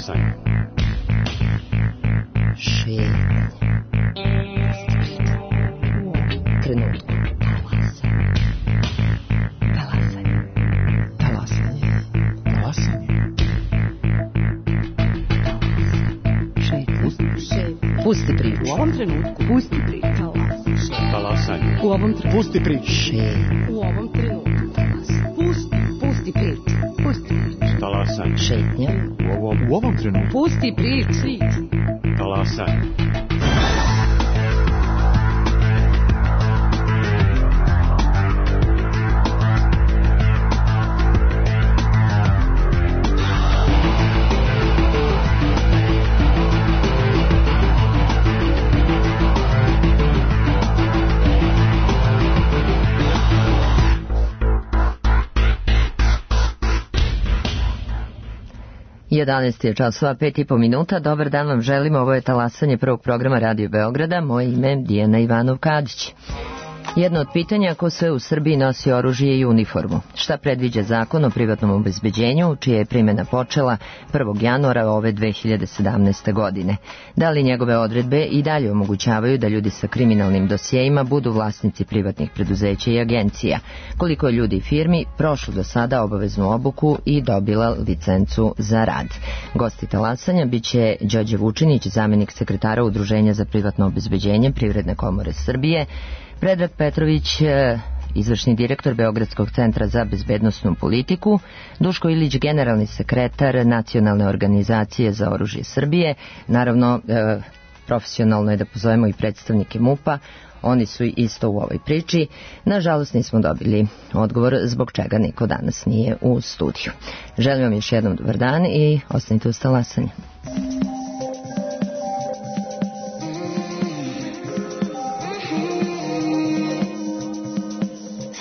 Talasanje. Šetnja. Trenutku. Talasanje. Talasanje. Talasanje. Šetnja. Pusti priču. U ovom trenutku. Pusti priču. Talasanje. U ovom trenutku. Pusti priču. Šetnja. U ovom trenutku. Pusti priču. Pusti priču. Talasanje. Šetnja. U ovom trenutku. Pusti priču. Talasanje. Jedanaest je časova, 5,5 minuta. Dobar dan vam želimo. Ovo je talasanje prvog programa Radio Beograda. Moje ime je Dijana Ivanov-Kadić. Jedno od pitanja ko sve u Srbiji nosi oružje i uniformu. Šta predviđa zakon o privatnom obezbeđenju, čija je primjena počela 1. januara ove 2017. godine? Da li njegove odredbe i dalje omogućavaju da ljudi sa kriminalnim dosjejima budu vlasnici privatnih preduzeća i agencija? Koliko je ljudi i firmi prošlo do sada obaveznu obuku i dobila licencu za rad? Gosti talasanja biće Đorđe Vučinić, zamenik sekretara Udruženja za privatno obezbeđenje Privredne komore Srbije, Predrag Petrović, izvršni direktor Beogradskog centra za bezbednosnu politiku, Duško Ilić, generalni sekretar Nacionalne organizacije za oružje Srbije. Naravno, profesionalno je da pozovemo i predstavnike MUP-a, oni su isto u ovoj priči. Nažalost, nismo dobili odgovor zbog čega niko danas nije u studiju. Želim vam još jednom dobar dan i ostanite uz talasanje.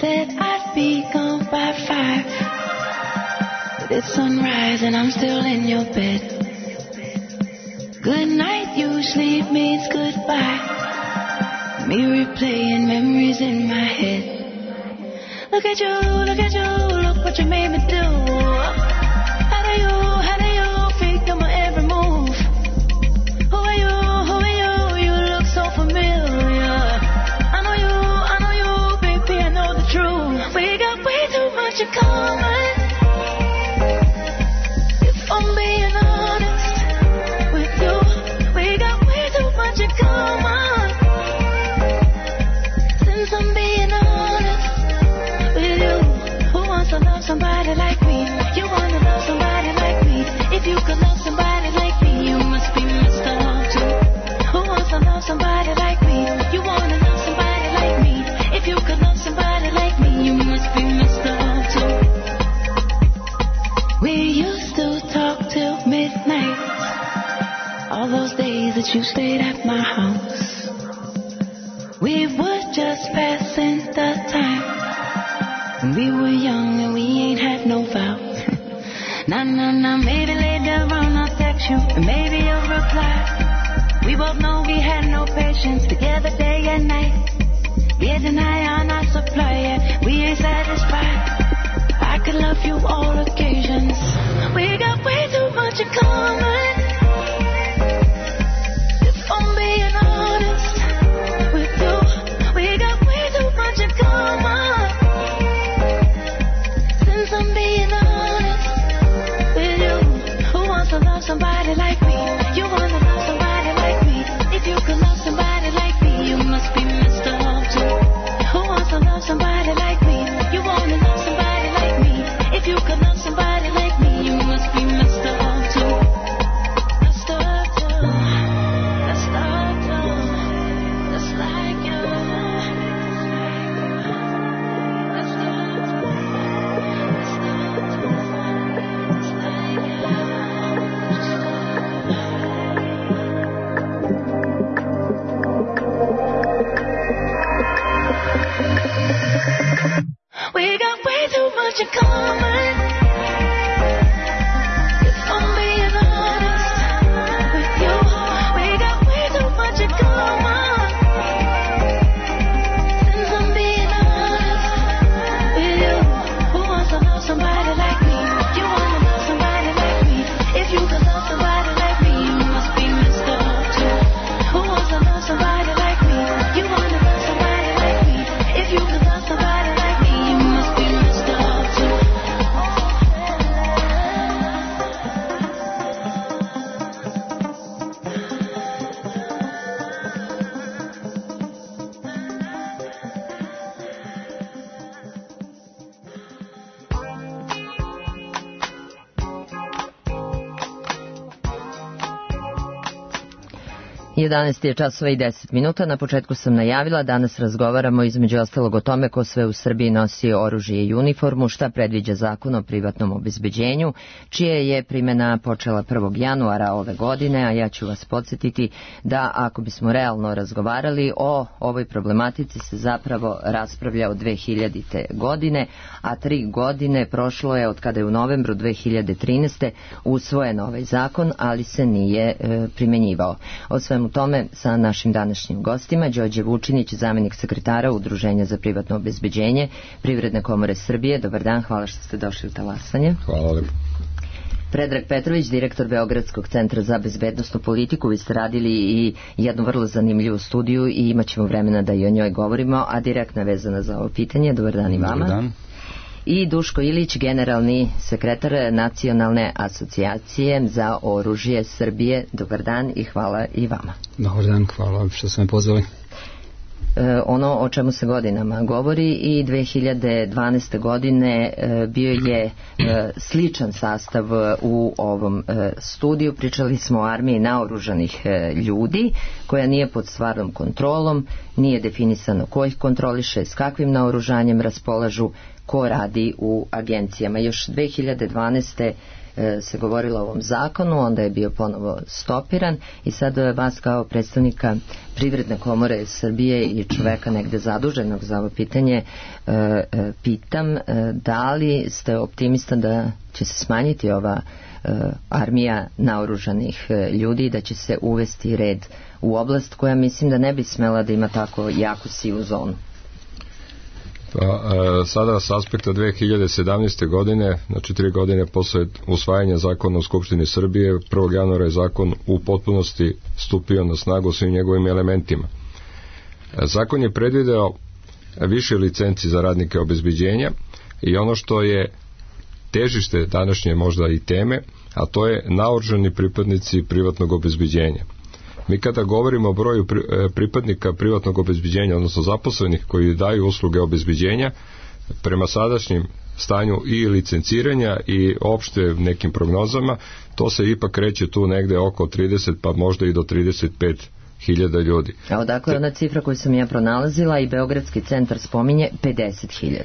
Said I'd be gone by 5, but it's sunrise and I'm still in your bed. Good night usually means goodbye. Me replaying memories in my head. Look at you, look what you made me do. How do you figure my every move? Who are you, you look so familiar. I know you, baby, I know the truth. We got way too much in common. If I'm being honest with you, we got way too much in common. Since I'm being honest with you, who wants to love somebody like me? You wanna love somebody like me? If you could love somebody like me, you must be messed up too. Who wants to love somebody like me? You wanna love somebody like me? If you could love somebody like me, you must be messed up too. We used to talk till midnight, all those days that you stayed at my house. We were just passing the time when we were young and we ain't had no vows. Nah, maybe later on I'll text you and maybe you'll reply. We both know we had no patience together day and night. Getting high on our supply, yeah, we ain't satisfied. I could love you all occasions. We got way too much in common. If I'm being honest with you, we got way too much in common. Since I'm being honest with you, who wants to love somebody like me? You wanna love somebody like me? If you could love somebody like me, you must be messed up too. Who wants to love somebody like me? You wanna love somebody like me? If you could love somebody like me, you must be messed up too. Messed up too. Messed up too. Just like you. Messed up too. Messed up too. Just like you. We got way too much in common. If I'm being honest with you, we got way too much in common. Since I'm being honest with you, who wants to love somebody like me? You wanna love somebody like me? If you could love somebody 11 je časova i 10 minuta. Na početku sam najavila, danas razgovaramo između ostalog o tome ko sve u Srbiji nosi oružje i uniformu, šta predviđa zakon o privatnom obezbeđenju, čije je primjena počela 1. januara ove godine, a ja ću vas podsjetiti da ako bismo realno razgovarali o ovoj problematici se zapravo raspravlja od 2000. godine, a 3 godine prošlo je od kada je u novembru 2013. usvojen ovaj zakon, ali se nije primjenjivao. O svemu tome sa našim današnjim gostima, Đorđe Vučinić, zamenik sekretara Udruženja za privatno obezbeđenje Privredne komore Srbije. Dobar dan, hvala što ste došli u talasanje. Hvala lepo. Predrag Petrović, direktor Beogradskog centra za bezbednosnu politiku. Vi ste radili i jednu vrlo zanimljivu studiju i imat ćemo vremena da i o njoj govorimo, a direktno je vezana za ovo pitanje. Dobar dan i vama. Dobar dan. I Duško Ilić, generalni sekretar Nacionalne asocijacije za oružje Srbije. Dobar dan i hvala i vama. Dobar dan, hvala što ste me pozvali. Ono o čemu se godinama govori i 2012. godine bio je sličan sastav u ovom studiju. Pričali smo o armiji naoružanih ljudi koja nije pod stvarnom kontrolom, nije definisano ko ih kontroliše, s kakvim naoružanjem raspolažu, ko radi u agencijama. Još 2012. se govorilo o ovom zakonu, onda je bio ponovo stopiran i sad vas kao predstavnika Privredne komore Srbije i čoveka negde zaduženog za ovo pitanje pitam da li ste optimista da će se smanjiti ova armija naoružanih ljudi i da će se uvesti red u oblast koja mislim da ne bi smela da ima tako jaku sivu zonu. Pa, sada s aspekta 2017. godine, znači 3 godine posle usvajanja zakona u Skupštini Srbije, 1. januara je zakon u potpunosti stupio na snagu svim njegovim elementima. Zakon je predvideo više licenci za radnike obezbeđenja i ono što je težište današnje možda i teme, a to je naoružani pripadnici privatnog obezbeđenja. Mi kada govorimo o broju pripadnika privatnog obezbeđenja, odnosno zaposlenih koji daju usluge obezbeđenja, prema sadašnjim stanju i licenciranja i opšte nekim prognozama, to se ipak kreće tu negde oko 30 pa možda i do 35.000 ljudi. A odakle ona cifra koju sam ja pronalazila i Beogradski centar spominje 50.000.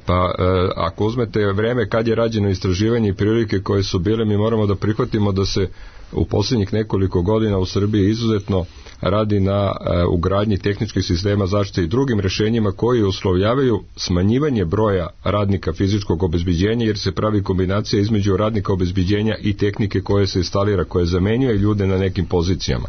Pa ako uzmete vreme kad je rađeno istraživanje i prilike koje su bile, mi moramo da prihvatimo da se u posljednjih nekoliko godina u Srbiji izuzetno radi na ugradnji tehničkih sistema zaštite i drugim rešenjima koji uslovljavaju smanjivanje broja radnika fizičkog obezbeđenja, jer se pravi kombinacija između radnika obezbeđenja i tehnike koje se instalira, koje zamenjuje ljude na nekim pozicijama.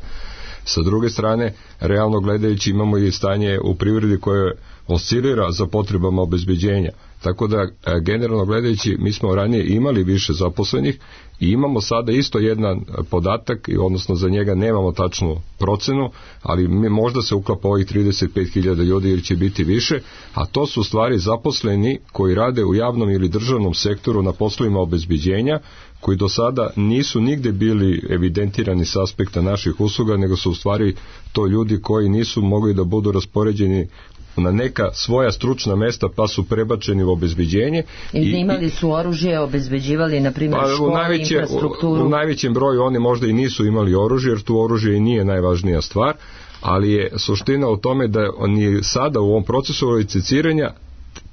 Sa druge strane, realno gledajući, imamo i stanje u privredi koje oscilira za potrebama obezbeđenja. Tako da, generalno gledajući, mi smo ranije imali više zaposlenih i imamo sada isto jedan podatak, odnosno za njega nemamo tačnu procenu, ali možda se uklapa ovih 35.000 ljudi ili će biti više, a to su u stvari zaposleni koji rade u javnom ili državnom sektoru na poslovima obezbeđenja, koji do sada nisu nigde bili evidentirani s aspekta naših usluga, nego su u stvari to ljudi koji nisu mogli da budu raspoređeni na neka svoja stručna mesta pa su prebačeni u obezbeđenje. Imali su oružje, obezbeđivali na primjer škole, infrastrukturu. U najvećem broju oni možda i nisu imali oružje, jer tu oružje i nije najvažnija stvar, ali je suština u tome da oni sada u ovom procesu licenciranja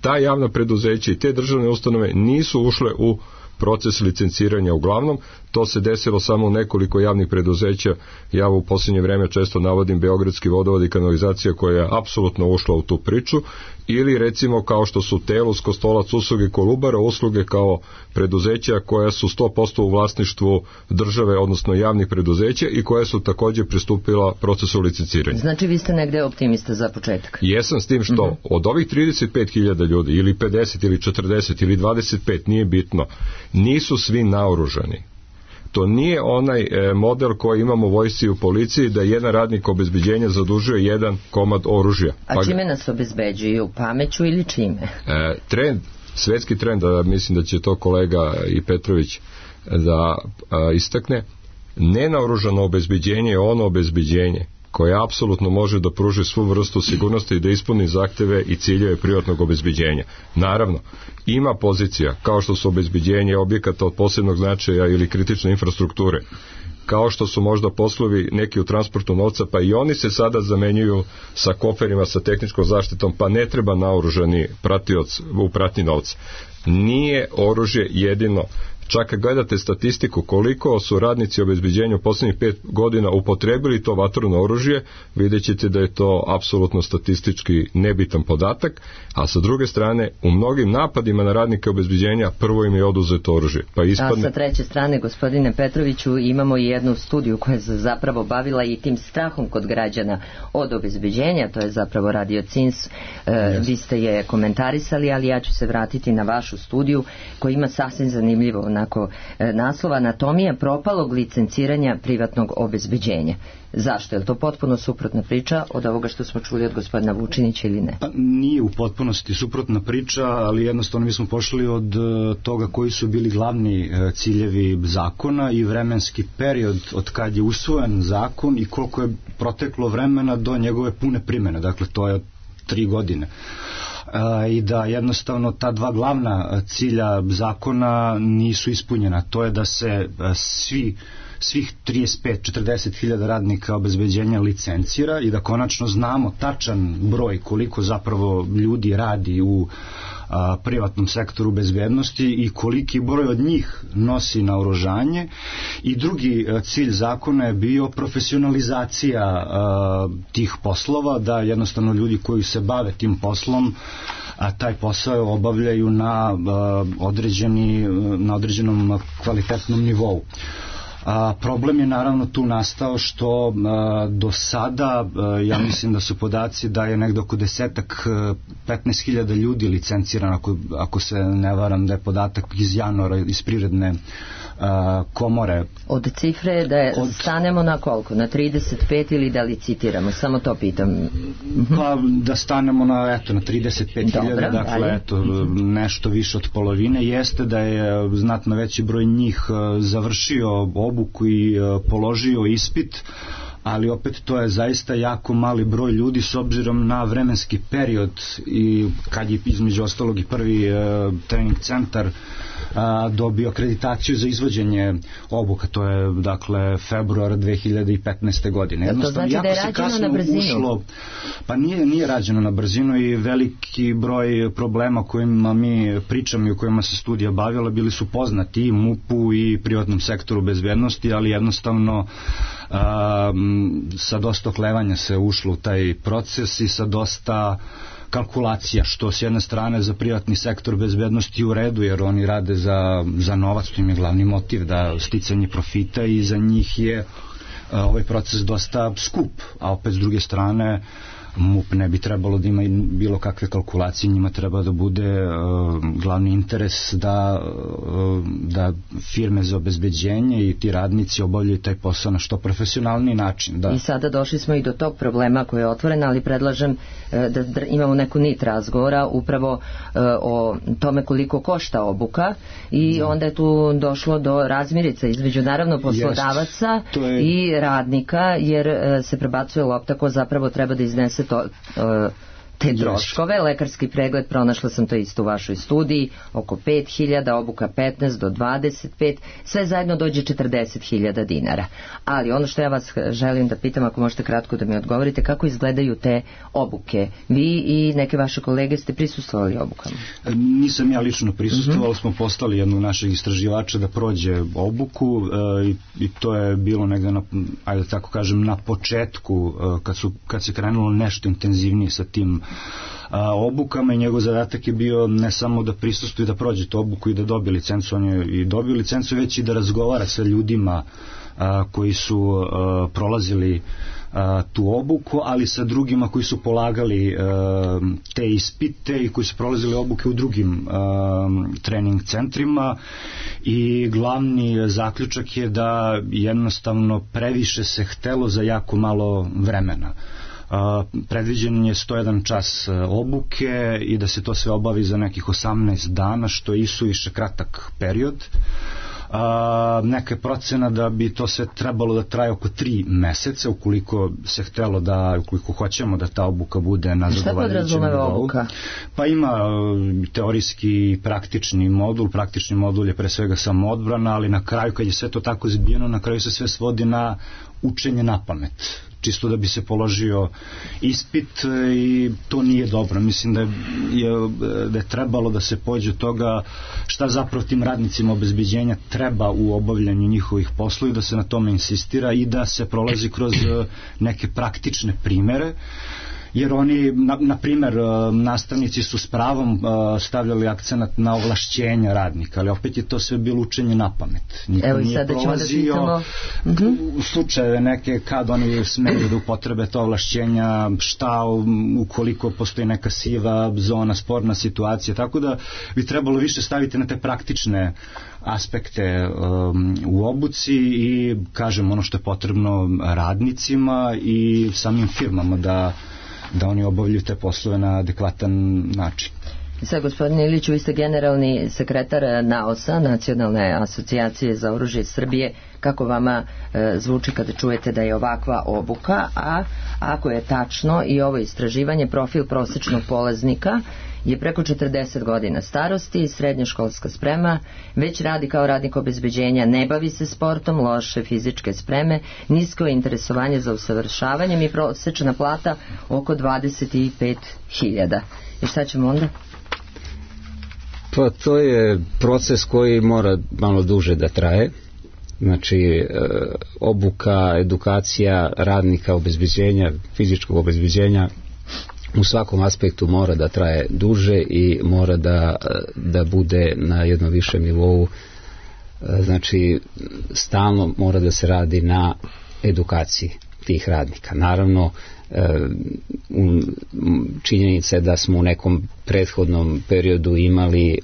ta javna preduzeća i te državne ustanove nisu ušle u proces licenciranja uglavnom. To se desilo samo u nekoliko javnih preduzeća. Ja u posljednje vreme često navodim Beogradski vodovod i kanalizacija koja je apsolutno ušla u tu priču, ili recimo kao što su Telus, Kostolac usluge, Kolubara usluge kao preduzeća koja su 100% u vlasništvu države, odnosno javnih preduzeća i koja su također pristupila procesu licenciranja. Znači vi ste negde optimista za početak? Jesam, s tim što od ovih 35.000 ljudi ili 50 ili 40 ili 25, nije bitno, nisu svi naoružani. To nije onaj model koji imamo u vojsci i u policiji da jedan radnik obezbeđenja zadužuje jedan komad oružja. A čime nas obezbeđuju? Pameću ili čime? Svetski trend, mislim da će to kolega i Petrović da istakne, nenaoružano obezbeđenje je ono obezbeđenje koje apsolutno može da pruži svu vrstu sigurnosti i da ispuni zahteve i ciljeve privatnog obezbeđenja. Naravno, ima pozicija kao što su obezbeđenje objekata od posebnog značaja ili kritične infrastrukture kao što su možda poslovi neki u transportu novca, pa i oni se sada zamenjuju sa koferima, sa tehničkom zaštitom, pa ne treba naoružani pratioc u pratnji novca. Nije oružje jedino. Čak kad gledate statistiku koliko su radnici obezbeđenja u posljednjih 5 godina upotrebili to vatreno oružje, vidjet ćete da je to apsolutno statistički nebitan podatak, a sa druge strane u mnogim napadima na radnike obezbeđenja prvo im je oduzeto oružje. Pa ispadne... A sa treće strane, gospodine Petroviću, imamo i jednu studiju koja se zapravo bavila i tim strahom kod građana od obezbeđenja, to je zapravo Radio CINS, vi ste je komentarisali, ali ja ću se vratiti na vašu studiju koja ima sasvim zanimljivo onako naslov Anatomija propalog licenciranja privatnog obezbeđenja. Zašto? Je li to potpuno suprotna priča od ovoga što smo čuli od gospodina Vučinića ili ne? Pa nije u potpunosti suprotna priča, ali jednostavno mi smo pošli od toga koji su bili glavni ciljevi zakona i vremenski period od kad je usvojen zakon i koliko je proteklo vremena do njegove pune primjene. Dakle, to je 3 godine. I da jednostavno ta dva glavna cilja zakona nisu ispunjena. To je da se svih 35-40 hiljada radnika obezbeđenja licencira i da konačno znamo tačan broj koliko zapravo ljudi radi u privatnom sektoru bezbednosti i koliki broj od njih nosi naoružanje. I drugi cilj zakona je bio profesionalizacija tih poslova, da jednostavno ljudi koji se bave tim poslom taj posao obavljaju na određenom kvalitetnom nivou. Problem je naravno tu nastao što do sada, ja mislim da su podaci da je negdje oko 15.000 ljudi licencirano, ako se ne varam da je podatak iz januara iz Privredne komore. Od cifre da stanemo na koliko? Na 35 ili da li citiramo? Samo to pitam. Pa da stanemo na 35.000, dakle nešto više od polovine. Jeste da je znatno veći broj njih završio obuku i položio ispit, ali opet to je zaista jako mali broj ljudi s obzirom na vremenski period i kad je između ostalog i prvi trening centar dobio akreditaciju za izvođenje obuka, to je dakle februar 2015. godine. To znači da je rađeno na brzinu? Pa nije rađeno na brzinu i veliki broj problema o kojima mi pričamo i o kojima se studija bavila bili su poznati i MUP-u i privatnom sektoru bezbednosti, ali jednostavno sa dosta oklevanja se ušlo u taj proces i sa dosta kalkulacija, što s jedne strane za privatni sektor bezbednosti u redu, jer oni rade za novac, to im je glavni motiv, da sticanje profita, i za njih je ovaj proces dosta skup, a opet s druge strane MUP ne bi trebalo da ima bilo kakve kalkulacije, njima treba da bude glavni interes da firme za obezbeđenje i ti radnici obavljaju taj posao na što profesionalni način. Da. I sada došli smo i do tog problema koji je otvoren, ali predlažem da imamo neku nit razgovora upravo o tome koliko košta obuka i onda je tu došlo do razmirica između naravno poslodavaca i radnika, jer se prebacuje lopta ko zapravo treba da iznese te troškove. Lekarski pregled, pronašla sam to isto u vašoj studiji, oko 5.000, obuka 15 do 25, sve zajedno dođe 40.000 dinara. Ali ono što ja vas želim da pitam, ako možete kratko da mi odgovorite, kako izgledaju te obuke? Vi i neke vaše kolege ste prisustvovali obukama? Nisam ja lično prisustvovao, smo poslali jednog našeg istraživača da prođe obuku i to je bilo negde ajde tako kažem na početku kad se krenulo nešto intenzivnije sa tim obukama, i njegov zadatak je bio ne samo da prisustvuje, da prođe tu obuku i da dobije licencu, on je i dobio licencu, već i da razgovara sa ljudima koji su prolazili tu obuku, ali sa drugima koji su polagali te ispite i koji su prolazili obuke u drugim trening centrima, i glavni zaključak je da jednostavno previše se htelo za jako malo vremena. Predviđen je 101 čas obuke i da se to sve obavi za nekih 18 dana, što je isuviše kratak period. neka je procena da bi to sve trebalo da traje oko 3 meseca ukoliko se htelo da, ukoliko hoćemo da ta obuka bude na zadovoljavajućem nivou. Šta podrazumeva obuka? Pa ima teorijski i praktični modul. Praktični modul je pre svega samoodbrana, ali na kraju kad je sve to tako zbijeno, na kraju se sve svodi na učenje na pamet, čisto da bi se položio ispit, i to nije dobro. Mislim da je trebalo da se pođe od toga šta zapravo tim radnicima obezbeđenja treba u obavljanju njihovih poslova i da se na tome insistira i da se prolazi kroz neke praktične primere, jer oni, na primer, nastavnici su s pravom stavljali akcenat na ovlašćenja radnika, ali opet je to sve bilo učenje na pamet. Niko Evo, nije prolazio slučajeve neke kad oni smeju da upotrebe to ovlašćenja, šta ukoliko postoji neka siva zona, sporna situacija, tako da bi trebalo više staviti na te praktične aspekte u obuci i, kažem, ono što je potrebno radnicima i samim firmama da oni obavljaju te poslove na adekvatan način. Sad, gospodine Iliću, vi ste generalni sekretar NAOS-a, Nacionalne asocijacije za oružje Srbije. Kako vama zvuči kada čujete da je ovakva obuka, a ako je tačno i ovo istraživanje, profil prosečnog polaznika je preko 40 godina starosti, srednjoškolska sprema, već radi kao radnik obezbeđenja, ne bavi se sportom, loše fizičke spreme, nisko interesovanje za usavršavanjem i prosečna plata oko 25.000. I šta ćemo onda? Pa to je proces koji mora malo duže da traje. Znači, obuka, edukacija radnika obezbeđenja, fizičkog obezbeđenja u svakom aspektu mora da traje duže i mora da bude na jednom višem nivou. Znači, stalno mora da se radi na edukaciji tih radnika. Naravno, činjenica je da smo u nekom prethodnom periodu imali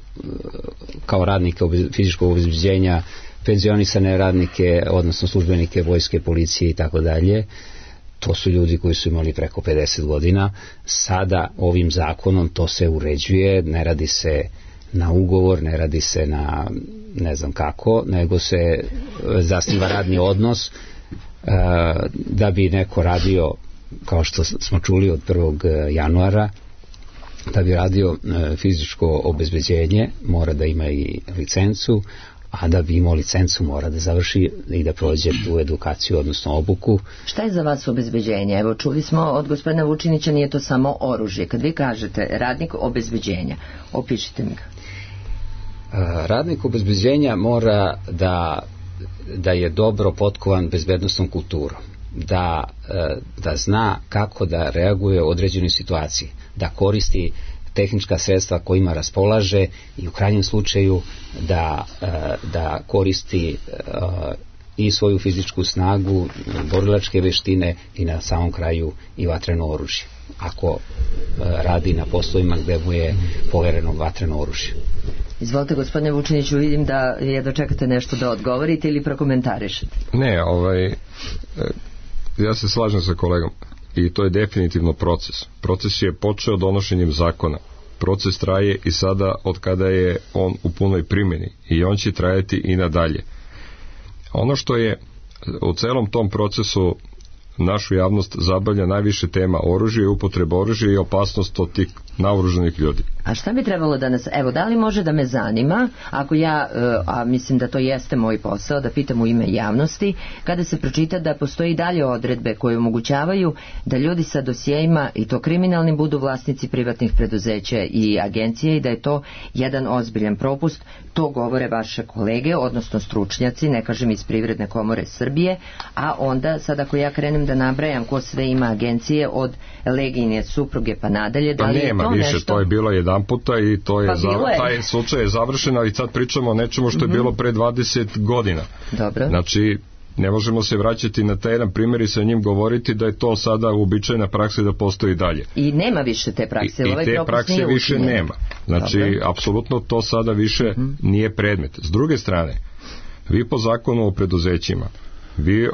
kao radnike fizičkog obezbeđenja penzionisane radnike, odnosno službenike vojske, policije i tako dalje. To su ljudi koji su imali preko 50 godina. Sada ovim zakonom to se uređuje, ne radi se na ugovor, ne radi se na ne znam kako, nego se zasniva radni odnos da bi neko radio, kao što smo čuli od 1. januara, da bi radio fizičko obezbeđenje mora da ima i licencu, a da bi imao licencu mora da završi i da prođe tu edukaciju, odnosno obuku. Šta je za vas obezbeđenje? Evo, čuli smo od gospodina Vučinića, nije to samo oružje. Kad vi kažete radnik obezbeđenja, opišite mi ga. Radnik obezbeđenja mora da je dobro potkovan bezbednosnom kulturom, da zna kako da reaguje u određenoj situaciji, da koristi tehnička sredstva kojima raspolaže i u krajnjem slučaju da koristi i svoju fizičku snagu, borilačke veštine i na samom kraju i vatreno oružje, ako radi na poslovima gde mu je povereno vatreno oružje. Izvolite, gospodine Vučiniću, vidim da je dočekate nešto da odgovorite ili prokomentarišete. Ne, ja se slažem sa kolegom i to je definitivno proces. Proces je počeo donošenjem zakona. Proces traje i sada od kada je on u punoj primjeni i on će trajati i nadalje. Ono što je u celom tom procesu našu javnost zabavlja najviše tema oružje, upotreba oružja i opasnost od tih naoružanih ljudi. A šta bi trebalo da nas, evo, da li može da me zanima, ako ja, a mislim da to jeste moj posao, da pitam u ime javnosti, kada se pročita da postoji dalje odredbe koje omogućavaju da ljudi sa dosjejima, i to kriminalnim, budu vlasnici privatnih preduzeća i agencije i da je to jedan ozbiljan propust, to govore vaše kolege, odnosno stručnjaci, ne kažem iz Privredne komore Srbije, a onda, sad ako ja krenem da nabrajam ko sve ima agencije od Legijine supruge pa nadalje, da li je to nešto? Više, to je bilo jedan puta i to je taj slučaj je završen, ali sad pričamo o nečemu što je bilo pre 20 godina. Dobro. Znači, ne možemo se vraćati na taj jedan primjer i sa njim govoriti da je to sada uobičajena praksa da postoji dalje. I nema više te prakse. I te prakse više nema. Znači, apsolutno to sada više nije predmet. S druge strane, vi po zakonu o preduzećima, vi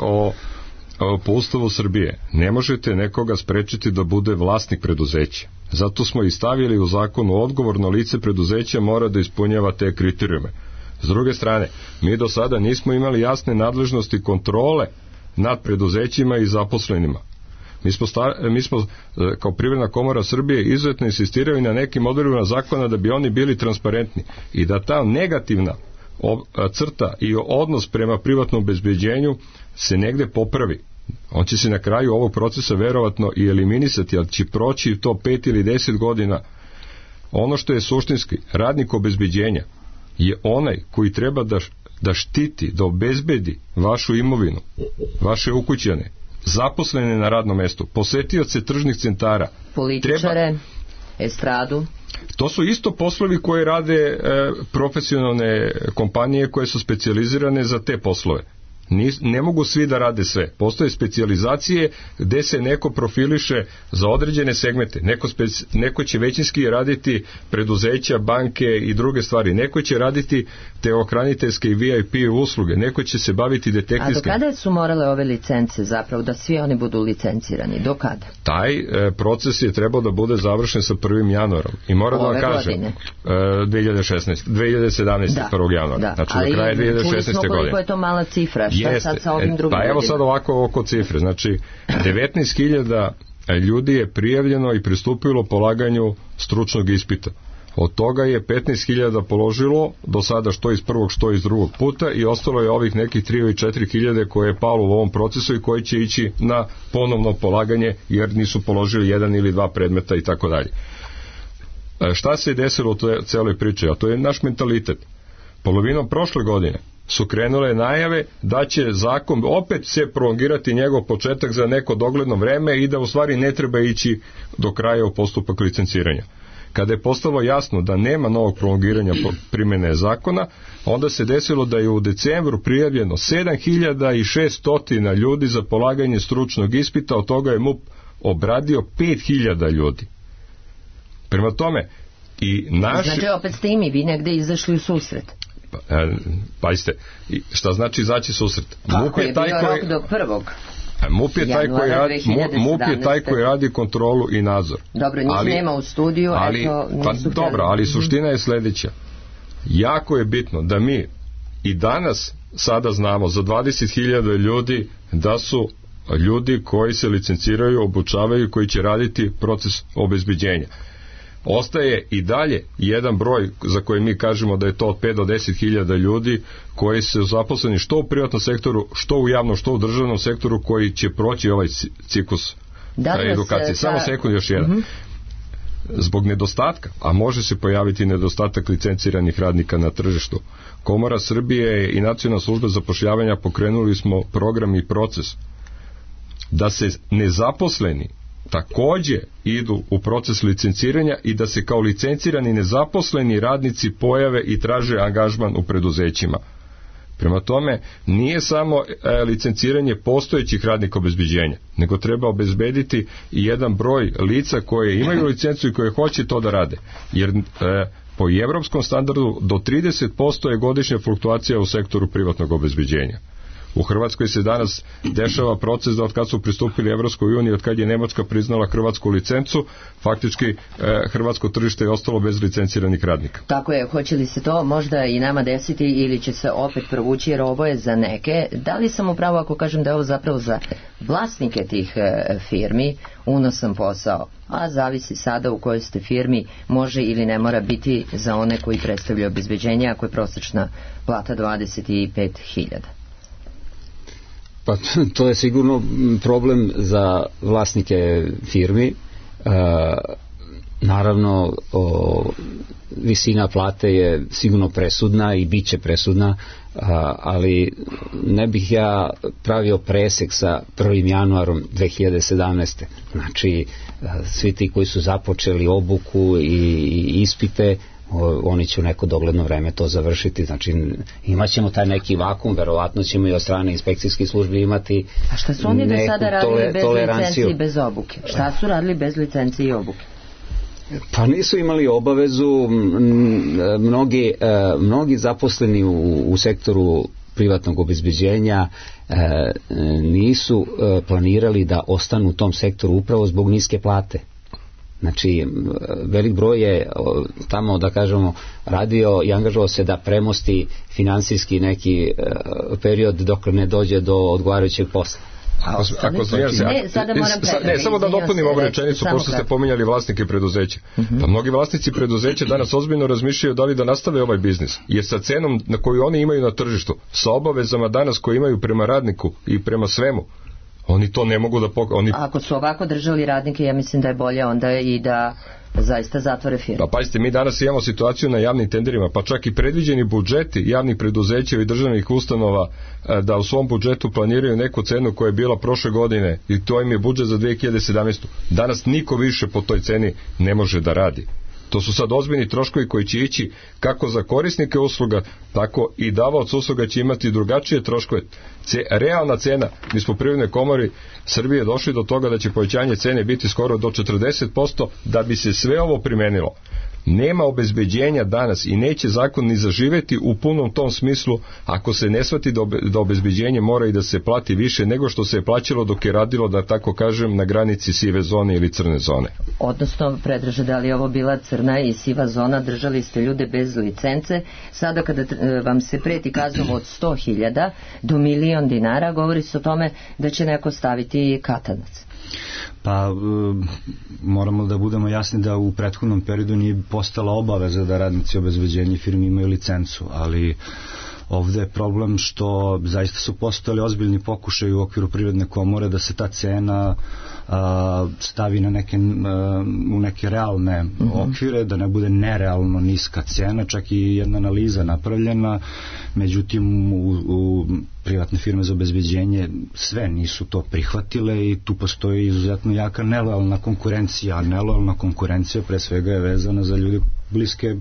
po Ustavu Srbije ne možete nekoga sprečiti da bude vlasnik preduzeća. Zato smo i stavili u zakonu odgovorno lice preduzeća mora da ispunjava te kriterijume. S druge strane, mi do sada nismo imali jasne nadležnosti kontrole nad preduzećima i zaposlenima. Mi smo kao Privredna komora Srbije izuzetno insistirali na nekim odredbama zakona da bi oni bili transparentni i da ta negativna crta i odnos prema privatnom obezbeđenju se negde popravi. On će se na kraju ovog procesa verovatno i eliminisati, ali će proći to 5 ili 10 godina. Ono što je suštinski, radnik obezbeđenja je onaj koji treba da štiti, da obezbedi vašu imovinu, vaše ukućane, zaposlene na radnom mestu, posetioce tržnih centara, političare, estradu. To su isto poslovi koje rade profesionalne kompanije koje su specijalizirane za te poslove. Ne mogu svi da rade sve. Postoje specijalizacije gde se neko profiliše za određene segmente. Neko će većinski raditi preduzeća, banke i druge stvari. Neko će raditi teohraniteljske i VIP usluge. Neko će se baviti detektivskim. A do kada su morale ove licence zapravo da svi oni budu licencirani? Do kada? Taj proces je trebao da bude završen sa 1. januarom. I moram da vam kažem 2017. 1. januara. Da, znači do kraja 2016. godine. Čuli smo koliko je to mala cifra. Sad sa ovim drugim pa evo sad ovako oko cifre, znači 19.000 ljudi je prijavljeno i pristupilo polaganju stručnog ispita. Od toga je 15.000 položilo do sada što iz prvog što iz drugog puta i ostalo je ovih nekih 3 ili 4.000 koje je palo u ovom procesu i koji će ići na ponovno polaganje jer nisu položili 1 ili 2 predmeta i tako dalje. Šta se je desilo u celoj priči? A to je naš mentalitet. Polovinom prošle godine su krenule najave da će zakon opet se prolongirati njegov početak za neko dogledno vreme i da u stvari ne treba ići do kraja u postupak licenciranja. Kada je postalo jasno da nema novog prolongiranja primjene zakona, onda se desilo da je u decembru prijavljeno 7.600 ljudi za polaganje stručnog ispita, od toga je MUP obradio 5.000 ljudi. Prema tome, i naši... Znači opet ste i vi negde izašli u susret. Pazite, šta znači izaći susret? Kako je bio rok do prvog? MUP je taj koji radi kontrolu i nadzor. Dobro, njih nema u studiju, dobro, ali suština je sledeća. Jako je bitno da mi i danas sada znamo za 20.000 ljudi da su ljudi koji se licenciraju, obučavaju, koji će raditi proces obezbeđenja. Ostaje i dalje jedan broj za koji mi kažemo da je to od 5 do 10.000 ljudi koji su zaposleni što u privatnom sektoru, što u javnom, što u državnom sektoru koji će proći ovaj ciklus edukacije. Samo sekund još jedan. Zbog nedostatka, a može se pojaviti nedostatak licenciranih radnika na tržištu, Komora Srbije i Nacionalna služba zapošljavanja pokrenuli smo program i proces da se nezaposleni takođe idu u proces licenciranja i da se kao licencirani nezaposleni radnici pojave i traže angažman u preduzećima. Prema tome, nije samo licenciranje postojećih radnika obezbeđenja, nego treba obezbediti i jedan broj lica koje imaju licencu i koje hoće to da rade. Jer po evropskom standardu do 30% je godišnja fluktuacija u sektoru privatnog obezbeđenja. U Hrvatskoj se danas dešava proces da od kad su pristupili Evropskoj uniji, od kad je Nemačka priznala hrvatsku licencu, faktički hrvatsko tržište je ostalo bez licenciranih radnika. Tako je, hoće li se to možda i nama desiti ili će se opet provući, jer ovo je za neke. Da li sam upravo ako kažem da je ovo zapravo za vlasnike tih firmi unosan posao, a zavisi sada u kojoj ste firmi, može ili ne mora biti za one koji predstavljaju obezbeđenje ako je prosječna plata 25.000. Pa to je sigurno problem za vlasnike firmi. Naravno, visina plate je sigurno presudna i bit će presudna, ali ne bih ja pravio presek sa 1. januarom 2017. Znači, svi ti koji su započeli obuku i ispite, oni će u neko dogledno vreme to završiti, znači imaćemo taj neki vakum, verovatno ćemo i od strane inspekcijskih službi imati. A šta su oni do sada radili bez licencije i bez obuke? Šta su radili bez licencije i obuke? Pa nisu imali obavezu, mnogi zaposleni u sektoru privatnog obezbeđenja nisu planirali da ostanu u tom sektoru upravo zbog niske plate. Znači, velik broj je tamo, da kažemo, radio i angažovao se da premosti finansijski neki period dok ne dođe do odgovarajućeg posla. Samo da dopunim ovu rečenicu, pošto ste pominjali vlasnike preduzeća. Pa mnogi vlasnici preduzeća danas ozbiljno razmišljaju da li da nastave ovaj biznis, jer sa cenom na koju oni imaju na tržištu, sa obavezama danas koje imaju prema radniku i prema svemu, oni to ne mogu da Ako su ovako držali radnike, ja mislim da je bolje onda i da zaista zatvore firmu. Pa pazite, mi danas imamo situaciju na javnim tenderima, pa čak i predviđeni budžeti javnih preduzeća i državnih ustanova da u svom budžetu planiraju neku cenu koja je bila prošle godine i to im je budžet za 2017. Danas niko više po toj ceni ne može da radi. To su sad ozbiljni troškovi koji će ići kako za korisnike usluga, tako i davaoc usluga će imati drugačije troškove. Realna cena, mi smo u Privrednoj komori Srbije došli do toga da će povećanje cene biti skoro do 40%, da bi se sve ovo primenilo. Nema obezbeđenja danas i neće zakon ni zaživeti u punom tom smislu ako se ne shvati da obezbeđenje mora i da se plati više nego što se je plaćalo dok je radilo, da tako kažem, na granici sive zone ili crne zone. Odnosno, Predraže, da li je ovo bila crna i siva zona, držali ste ljude bez licence, sada kada vam se preti kaznom od 100.000 do 1.000.000 dinara, govori se o tome da će neko staviti katanac. Pa moramo da budemo jasni da u prethodnom periodu nije postala obaveza da radnici obezbeđenja firmi imaju licencu, ali ovde je problem što zaista su postojali ozbiljni pokušaj u okviru Privredne komore da se ta cena stavi na u neke realne okvire, da ne bude nerealno niska cena, čak i jedna analiza napravljena, međutim u privatne firme za obezbeđenje sve nisu to prihvatile i tu postoji izuzetno jaka nelojalna konkurencija, a nelojalna konkurencija pre svega je vezana za ljude bliske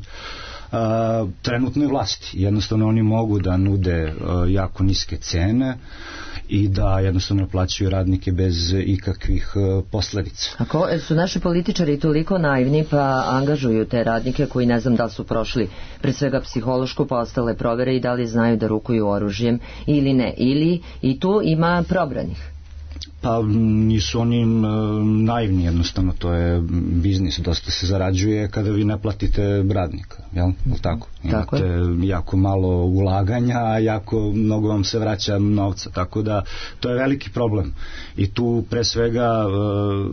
trenutnoj vlasti. Jednostavno oni mogu da nude jako niske cene i da jednostavno plaćaju radnike bez ikakvih posledica. Ako su naši političari toliko naivni pa angažuju te radnike koji ne znam da li su prošli pre svega psihološku pa ostale provere i da li znaju da rukuju oružjem ili ne, ili i tu ima probranih? Pa nisu oni naivni, jednostavno to je biznis, dosta se zarađuje kada vi ne platite radnika, jel? Tako? Imate jako malo ulaganja, a jako mnogo vam se vraća novca, tako da to je veliki problem i tu pre svega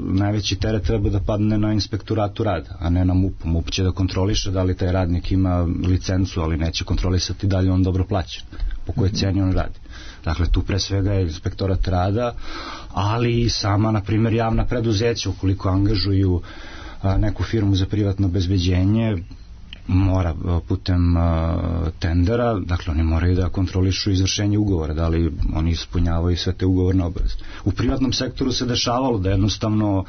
najveći teret treba da padne na inspektoratu rada, a ne na MUP. MUP će da kontroliše da li taj radnik ima licencu, ali neće kontrolisati da li on dobro plaća, po kojoj ceni on radi. Dakle, tu pre svega je inspektorat rada, ali i sama, na primjer, javna preduzeća, ukoliko angažuju neku firmu za privatno obezbeđenje, mora putem tendera, dakle, oni moraju da kontrolišu izvršenje ugovora, da li oni ispunjavaju sve te ugovorne obaveze. U privatnom sektoru se dešavalo da jednostavno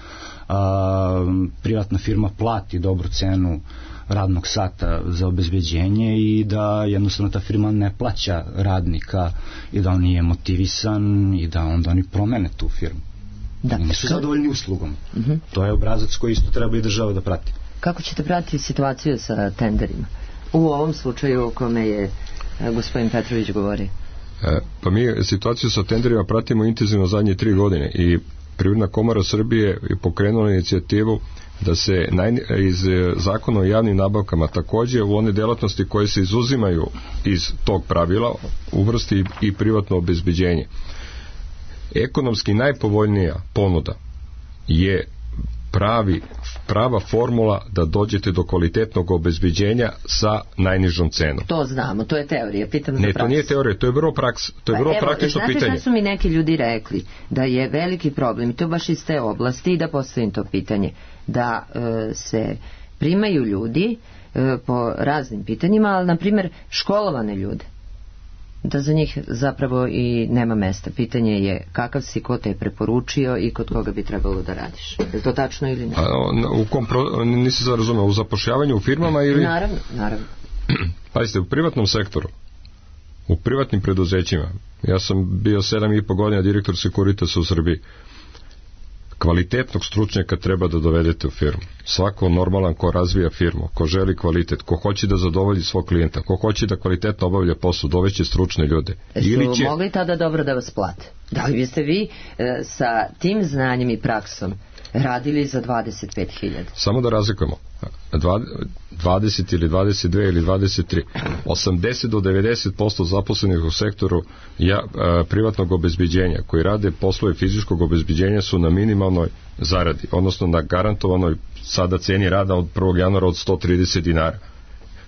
privatna firma plati dobru cenu radnog sata za obezbeđenje i da jednostavno ta firma ne plaća radnika i da on nije motivisan i da onda oni promene tu firmu. Da. I nisu zadovoljni uslugom. To je obrazac koji isto treba i država da prati. Kako ćete pratiti situaciju sa tenderima? U ovom slučaju o kome je gospodin Petrović govori. Pa mi situaciju sa tenderima pratimo intenzivno zadnje 3 godine i Privredna komora Srbije je pokrenula inicijativu da se iz zakona o javnim nabavkama takođe u one delatnosti koje se izuzimaju iz tog pravila uvrsti i privatno obezbeđenje. Ekonomski najpovoljnija ponuda je prava formula da dođete do kvalitetnog obezbeđenja sa najnižom cenom. To znamo, to je teorija, pitam za praksu. Ne, to nije teorija, to je vrlo praktično pitanje. Znate šta su mi neki ljudi rekli? Da je veliki problem, i to baš iz te oblasti, i da postavim to pitanje, da se primaju ljudi po raznim pitanjima, ali na primjer školovane ljude, da za njih zapravo i nema mesta. Pitanje je kakav si, ko te je preporučio i kod koga bi trebalo da radiš. Je to tačno ili ne? Nisi se razumeo, u zapošljavanju u firmama ili... Naravno. Pazite, u privatnom sektoru, u privatnim preduzećima, ja sam bio 7,5 godina direktor Securitasa u Srbiji, kvalitetnog stručnjaka treba da dovedete u firmu. Svako normalan ko razvija firmu, ko želi kvalitet, ko hoće da zadovolji svog klijenta, ko hoće da kvalitetno obavlja posao, doveće stručne ljude. Su mogli tada dobro da vas plate? Da li biste vi sa tim znanjem i praksom radili za 25.000. Samo da razlikujemo 20 ili 22 ili 23 80 do 90% zaposlenih u sektoru privatnog obezbeđenja koji rade poslove fizičkog obezbeđenja su na minimalnoj zaradi, odnosno na garantovanoj sada ceni rada od 1. januara od 130 dinara.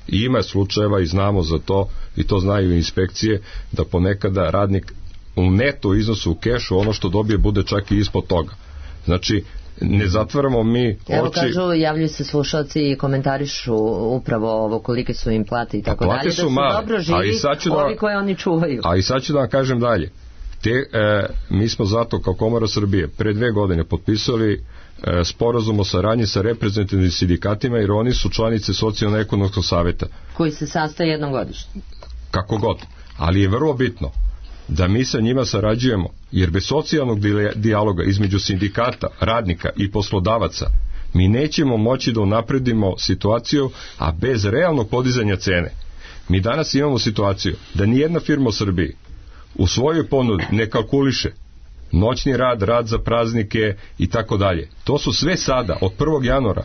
I ima slučajeva i znamo za to, i to znaju inspekcije, da ponekada radnik u neto iznosu u kešu ono što dobije bude čak i ispod toga. Znači, ne zatvaramo mi oči. Evo kažu, javljaju se slušalci i komentarišu upravo ovo kolike su im plate i tako dalje, da su male, dobro živi ovi koje oni čuvaju. A i sad ću da vam kažem dalje. Mi smo zato kao Komora Srbije pre 2 godine potpisali sporazum o saradnji sa reprezentativnim sindikatima, jer oni su članice Socijalno-ekonomskog saveta koji se sastaje jednom godišnje. Kako god, ali je vrlo bitno da mi sa njima sarađujemo, jer bez socijalnog dijaloga između sindikata, radnika i poslodavaca mi nećemo moći da unapredimo situaciju, a bez realnog podizanja cene. Mi danas imamo situaciju da nijedna firma u Srbiji u svojoj ponudi ne kalkuliše noćni rad, rad za praznike i tako dalje. To su sve sada, od 1. januara,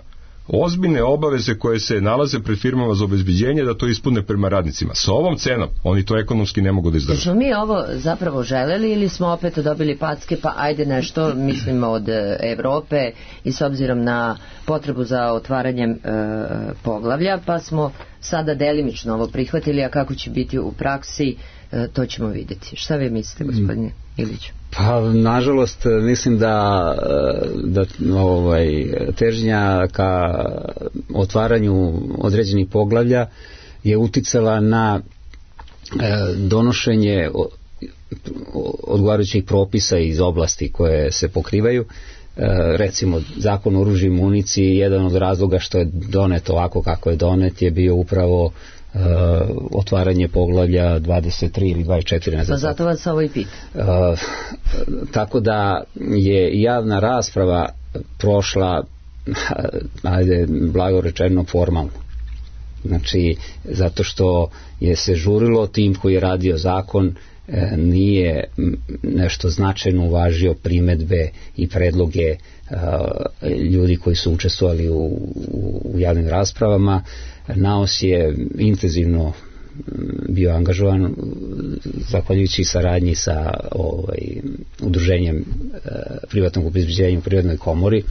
ozbiljne obaveze koje se nalaze pred firmama za obezbeđenje da to ispune prema radnicima. Sa ovom cenom oni to ekonomski ne mogu da izdrže. Smo mi ovo zapravo želeli ili smo opet dobili packe, pa ajde nešto, mislimo od Evrope i s obzirom na potrebu za otvaranjem poglavlja, pa smo sada delimično ovo prihvatili, a kako će biti u praksi, to ćemo vidjeti. Šta vi mislite, gospodine Iliću? Pa, nažalost, mislim da težnja ka otvaranju određenih poglavlja je uticala na donošenje odgovarajućih propisa iz oblasti koje se pokrivaju. Recimo, zakon o oružju i municiji, jedan od razloga što je donet ovako kako je donet je bio upravo otvaranje poglavlja 23 ili 24, ne znam. Zato vas ovo i pita. Tako da je javna rasprava prošla, ajde, blago rečeno, formalno. Znači, zato što je se žurilo, tim koji je radio zakon nije nešto značajno uvažio primedbe i predloge ljudi koji su učestvovali u javnim raspravama. NAOS je intenzivno bio angažovan zahvaljujući saradnji sa udruženjem privatnog obezbeđenja u Privrednoj komori,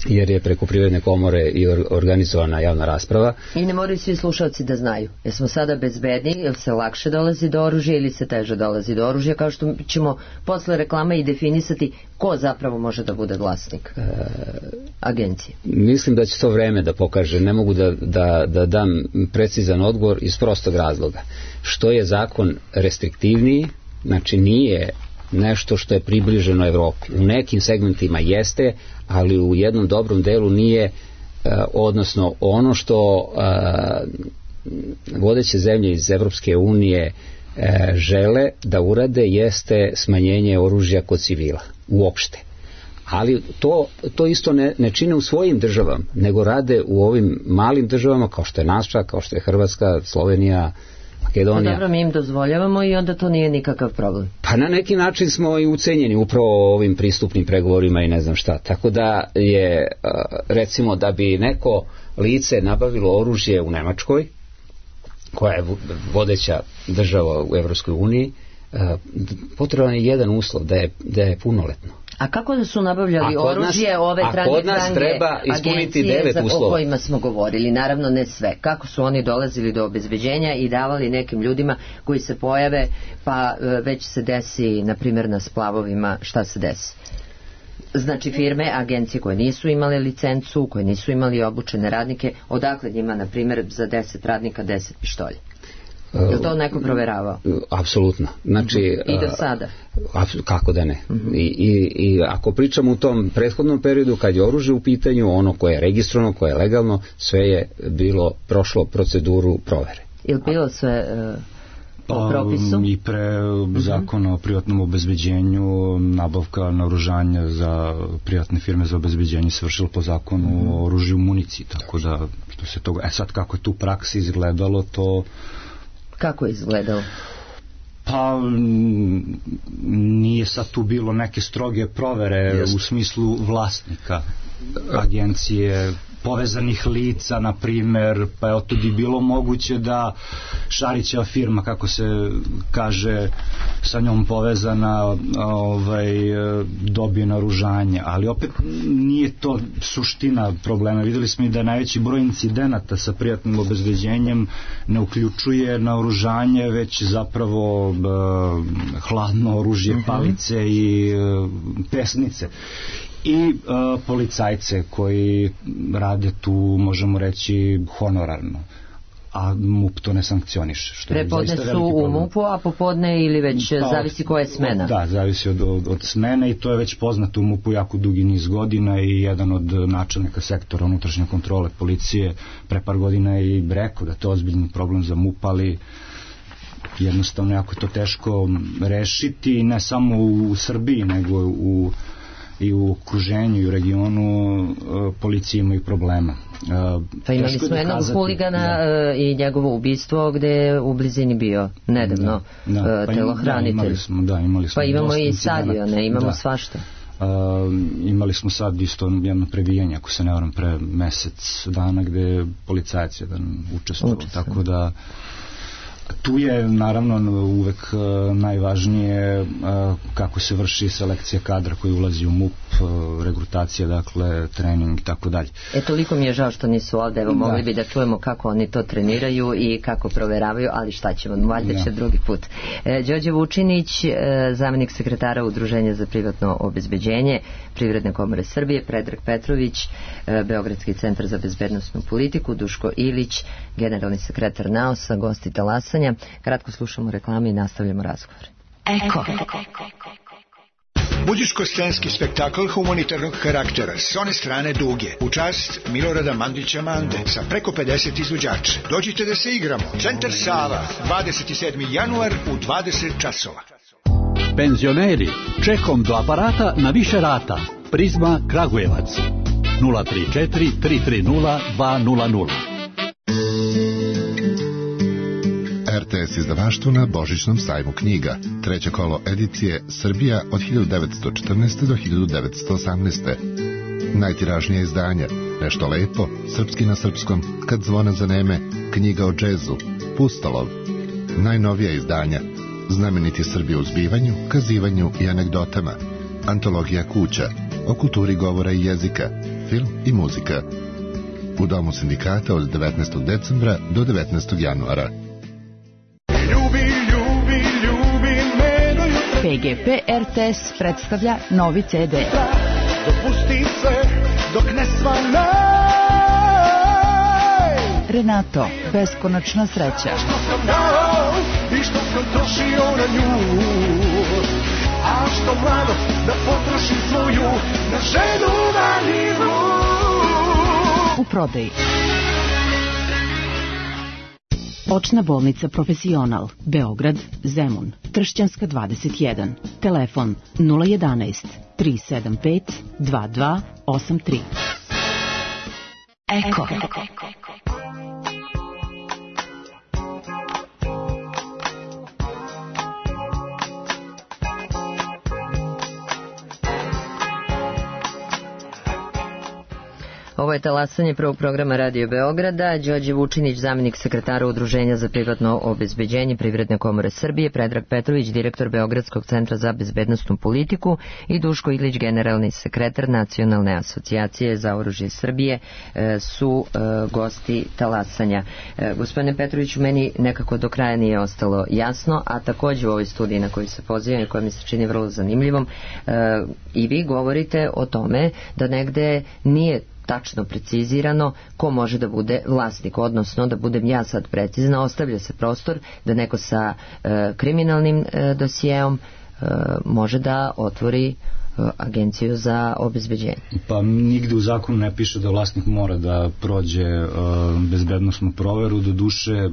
jer je preko Privredne komore i organizovana javna rasprava. I ne moraju svi slušalci da znaju. Jesmo sada bezbedniji, ili se lakše dolazi do oružja ili se teže dolazi do oružja, kao što ćemo posle reklama i definisati ko zapravo može da bude vlasnik agencije. Mislim da će to vreme da pokaže. Ne mogu da dam precizan odgovor iz prostog razloga. Što je zakon restriktivniji, znači nije nešto što je približeno Evropi. U nekim segmentima jeste, ali u jednom dobrom delu nije, odnosno ono što vodeće zemlje iz Evropske unije žele da urade jeste smanjenje oružja kod civila uopšte. Ali to isto ne čine u svojim državama, nego rade u ovim malim državama kao što je naša, kao što je Hrvatska, Slovenija, Makedonija. Dobro, mi im dozvoljavamo i onda to nije nikakav problem. Pa na neki način smo i ucenjeni upravo ovim pristupnim pregovorima i ne znam šta. Tako da je, recimo, da bi neko lice nabavilo oružje u Nemačkoj, koja je vodeća država u Evropskoj uniji, potreban je jedan uslov, da je punoletno. A kako da su nabavljali oružje ove trange agencije o kojima smo govorili? Naravno ne sve. Kako su oni dolazili do obezbeđenja i davali nekim ljudima koji se pojave, pa već se desi, na primjer na splavovima, šta se desi? Znači firme, agencije koje nisu imale licencu, koje nisu imali obučene radnike, odakle njima, na primjer, za 10 radnika 10 pištolja? Je to neko proveravao? Apsolutno. Znači, i do sada? Kako da ne. I ako pričamo u tom prethodnom periodu, kad je oružje u pitanju, ono koje je registrovano, koje je legalno, sve je prošlo proceduru provere. Je li bilo sve po propisu? I pre zakona o privatnom obezbeđenju, nabavka naoružanja za privatne firme za obezbeđenje se vršilo po zakonu o oružju i municiji, tako da što se toga, sad kako je tu praksi izgledalo, to... Kako je izgledalo? Pa Pa nije sad tu bilo neke stroge provere u smislu vlasnika agencije, povezanih lica, na primer, pa je to bi bilo moguće da Šarićeva firma, kako se kaže, sa njom povezana, dobije naoružanje, ali opet nije to suština problema. Videli smo i da najveći broj incidenata sa privatnim obezbeđenjem ne uključuje naoružanje, već zapravo hladno oružje, palice i pesnice. I policajce koji rade tu, možemo reći, honorarno, a MUP to ne sankcioniše. Prepodne su u MUP-u, a popodne ili već zavisi koja je smena? Da, zavisi od smene i to je već poznato u MUP-u jako dugi niz godina i jedan od načelnika sektora unutrašnje kontrole policije pre par godina je i rekao da to je ozbiljni problem za MUP, ali jednostavno jako je to teško rešiti, ne samo u Srbiji, nego i u okruženju i u regionu policije imaju problema. Pa imali smo jednog huligana i njegovo ubistvo gde je u blizini bio nedavno telohranitelj. Imali smo pa imamo i stadione, imamo svašta. Imali smo sad isto jedno prebijanje, ako se ne varam, pre mesec dana gde je policajac jedan učestvovao, tako da tu je naravno uvek najvažnije kako se vrši selekcija kadra koji ulazi u MUP, regrutacija, dakle, trening i tako dalje. Toliko mi je žao što nisu ovde, evo mogli bi da čujemo kako oni to treniraju i kako proveravaju, ali šta ćemo, valjda će drugi put. Đorđe Vučinić, zamenik sekretara Udruženja za privatno obezbeđenje Privredne komore Srbije, Predrag Petrović, Beogradski centar za bezbednosnu politiku, Duško Ilić, generalni sekretar NAOS-a, gosti talasanja. Kratko slušamo reklame i nastavljamo razgovor. Eko. Muzičko-scenski spektakl humanitarnog karaktera s one strane Duge u čast Milorada Mandića Mande sa preko 50 izvođača. Dođite da se igramo. Centar Sava, 27. januar u 20 časova. Penzioneri, čekom do aparata na više rata. Prizma Kragujevac 034 330 200. RTS izdavaštvo na Božićnom sajmu knjiga. Treće kolo edicije Srbija od 1914. do 1918. Najtiražnije izdanja Nešto lepo, Srpski na srpskom, Kad zvona zaneme, Knjiga o džezu, Pustolov. Najnovija izdanja Znameniti Srbi u zbivanju, kazivanju i anegdotama, Antologija kuća, o kulturi govora i jezika, film i muzika. U Domu sindikata od 19. decembra do 19. januara. PGP RTS predstavlja novi CD. Dopusti se dok ne svanaj. Renato, beskonačna sreća. Što sam dao i što sam trošio na nju, a što mladost da potrošim svoju na ženu valjivu. U prodaji. Očna bolnica Profesional, Beograd, Zemun, Tršćanska 21, telefon 011 375 2283. Eko. Ovo je talasanje prvog programa Radio Beograda. Đorđe Vučinić, zamenik sekretara Udruženja za privatno obezbeđenje Privredne komore Srbije, Predrag Petrović, direktor Beogradskog centra za bezbednosnu politiku i Duško Ilić, generalni sekretar Nacionalne asocijacije za oružje Srbije su gosti talasanja. Gospodine Petroviću, meni nekako do kraja nije ostalo jasno, a takođe u ovoj studiji na koju se pozivam i koja mi se čini vrlo zanimljivom, i vi govorite o tome da negde nije tačno precizirano ko može da bude vlasnik, odnosno da budem ja sad precizna, ostavlja se prostor da neko sa kriminalnim dosijeom može da otvori agenciju za obezbeđenje. Pa nigde u zakonu ne piše da vlasnik mora da prođe bezbednosnu proveru, do duše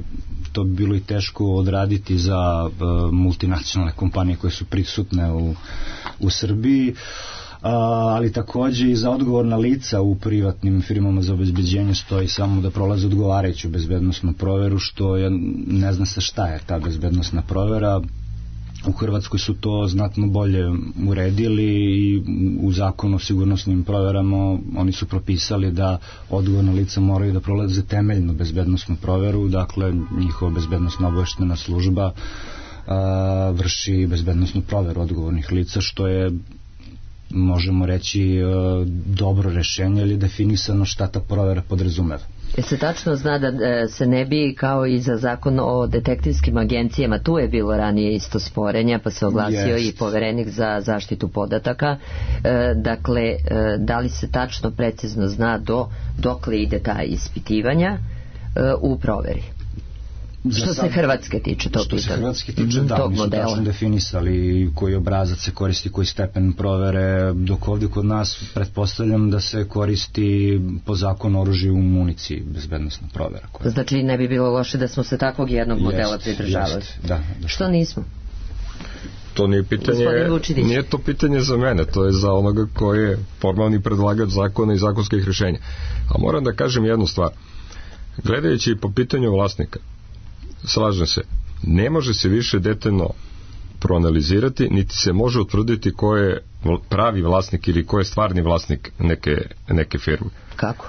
to bi bilo i teško odraditi za multinacionalne kompanije koje su prisutne u Srbiji, ali takođe i za odgovorna lica u privatnim firmama za obezbeđenje stoji samo da prolaze odgovarajuću bezbednosnu proveru, što je, ne zna se šta je ta bezbednosna provera, U Hrvatskoj su to znatno bolje uredili i u zakonu o sigurnosnim proverama oni su propisali da odgovorna lica moraju da prolaze temeljnu bezbednosnu proveru, dakle njihova bezbednosna obaveštajna služba vrši bezbednosnu proveru odgovornih lica, što je, možemo reći, dobro rešenje ili definisano šta ta provera podrazumeva. Se tačno zna da se ne bi, kao i za zakon o detektivskim agencijama, tu je bilo ranije isto sporenja, pa se oglasio i poverenik za zaštitu podataka. Dakle, da li se tačno precizno zna dokle ide ta ispitivanja u proveri? Što se Hrvatske tiče, to pitanje. Što se Hrvatske tiče, da, oni su tačno definisali koji obrazac se koristi, koji stepen provere, dok ovdje kod nas pretpostavljam da se koristi po zakonu oružju u municiji bezbednosna provera. Znači ne bi bilo loše da smo se takvog jednog modela pridržavali. Da. Što nismo? To nije pitanje, nije to pitanje za mene, to je za onoga koji je formalni predlagač zakona i zakonskih rješenja. A moram da kažem jednu stvar. Gledajući po pitanju vlasnika, slažem se, ne može se više detaljno proanalizirati, niti se može utvrditi ko je pravi vlasnik ili ko je stvarni vlasnik neke firme. Kako?